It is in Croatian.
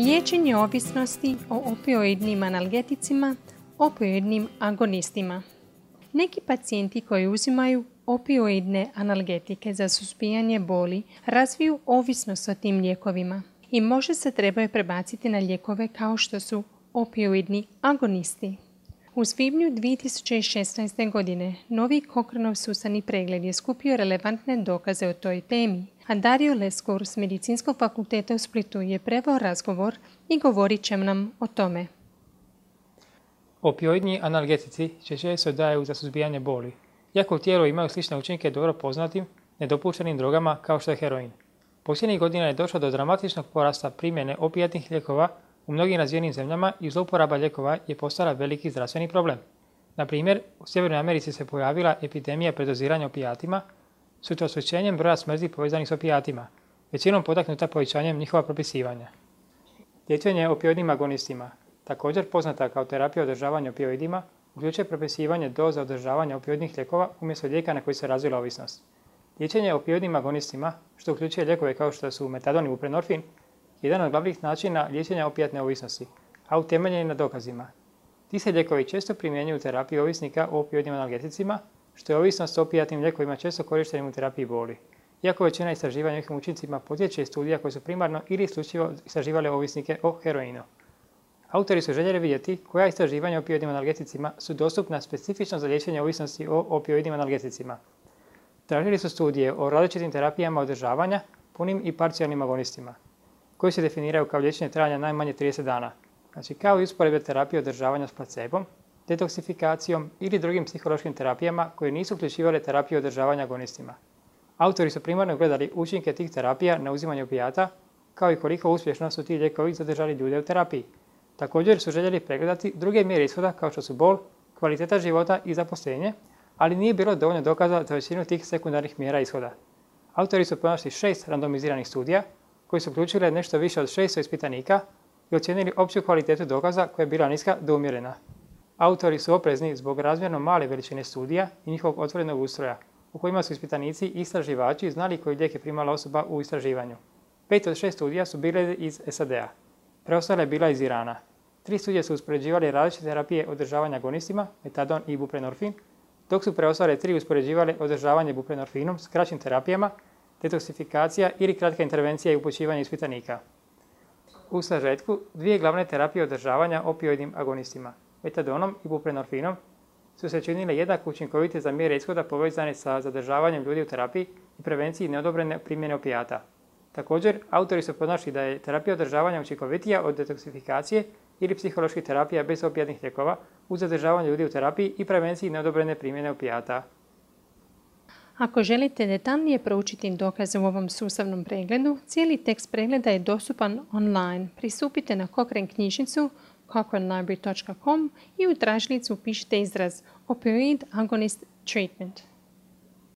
Liječenje ovisnosti o opioidnim analgeticima, opioidnim agonistima. Neki pacijenti koji uzimaju opioidne analgetike za suzbijanje boli razviju ovisnost o tim lijekovima i možda se trebaju prebaciti na lijekove kao što su opioidni agonisti. U svibnju 2016. godine novi Cochraneov sustavni pregled je skupio relevantne dokaze o toj temi, a Dario Leskur s Medicinskog fakulteta u Splitu je preveo razgovor i govorit će nam o tome. Opioidni analgetici često se daju za suzbijanje boli, iako u tijelu imaju slične učinke dobro poznatim, nedopuštenim drogama kao što je heroin. Posljednjih godina je došlo do dramatičnog porasta primjene opijatnih lijekova u mnogim razvijenim zemljama i zlouporaba lijekova je postala veliki zdravstveni problem. Na primjer, u Sjevernoj Americi se pojavila epidemija predoziranja opijatima s učvršćenjem broja smrti povezanih s opijatima, većinom potaknuta povećanjem njihova propisivanja. Liječenje opioidnim agonistima, također poznata kao terapija održavanja opioidima, uključuje propisivanje doza održavanja opioidnih lijekova umjesto lijeka na koji se razvila ovisnost. Liječenje opioidnim agonistima, što uključuje lijekove kao što su metadon i buprenorfin, je jedan od glavnih načina liječenja opijatne ovisnosti, a utemeljen na dokazima. Ti se lijekovi često primjenjuju u terapiji ovisnika o opioidnim analgeticima, što je ovisnost o opijatnim lijekovima često korištenim u terapiji boli. Iako većina istraživanja njihovim učincima potječe iz studija koje su primarno ili isključivo istraživale ovisnike o heroinu. Autori su željeli vidjeti koja istraživanja o opioidnim analgeticima su dostupna specifično za liječenje ovisnosti o opioidnim analgeticima. Tražili su studije o različitim terapijama održavanja, punim i parcijalnim agonistima, koji se definiraju kao liječenje trajanja najmanje 30 dana, znači kao i usporedbe terapije održavanja s placebom, detoksifikacijom ili drugim psihološkim terapijama koje nisu uključivale terapiju održavanja agonistima. Autori su primarno gledali učinke tih terapija na uzimanje opijata, kao i koliko uspješno su ti lijekovi zadržali ljude u terapiji. Također su željeli pregledati druge mjere ishoda kao što su bol, kvaliteta života i zaposlenje, ali nije bilo dovoljno dokaza za većinu tih sekundarnih mjera ishoda. Autori su pronašli 6 randomiziranih studija koji su uključile nešto više od 600 ispitanika i ocijenili opću kvalitetu dokaza koja je bila niska do umjerena. Autori su oprezni zbog razmjerno male veličine studija i njihovog otvorenog ustroja, u kojima su ispitanici i istraživači znali koji lijek je primala osoba u istraživanju. 5 od 6 studija su bile iz SAD-a, preostala je bila iz Irana. 3 studije su uspoređivale različite terapije održavanja agonistima, metadon i buprenorfin, dok su preostale 3 uspoređivale održavanje buprenorfinom s kraćim terapijama, detoksifikacija ili kratka intervencija i upućivanje ispitanika. U sažetku, 2 glavne terapije održavanja opioidnim agonistima, metadonom i buprenorfinom, su se činile jednako učinkovite za mjere ishoda povezane sa zadržavanjem ljudi u terapiji i prevenciji neodobrene primjene opijata. Također, autori su pronašli da je terapija održavanja učinkovitija od detoksifikacije ili psiholoških terapija bez opijatnih lijekova uz zadržavanje ljudi u terapiji i prevenciji neodobrene primjene opijata. Ako želite detaljnije proučiti dokaze u ovom sustavnom pregledu, cijeli tekst pregleda je dostupan online. Pristupite na Cochrane knjižnicu cochranelibrary.com i u tražilicu upišite izraz Opioid Agonist Treatment.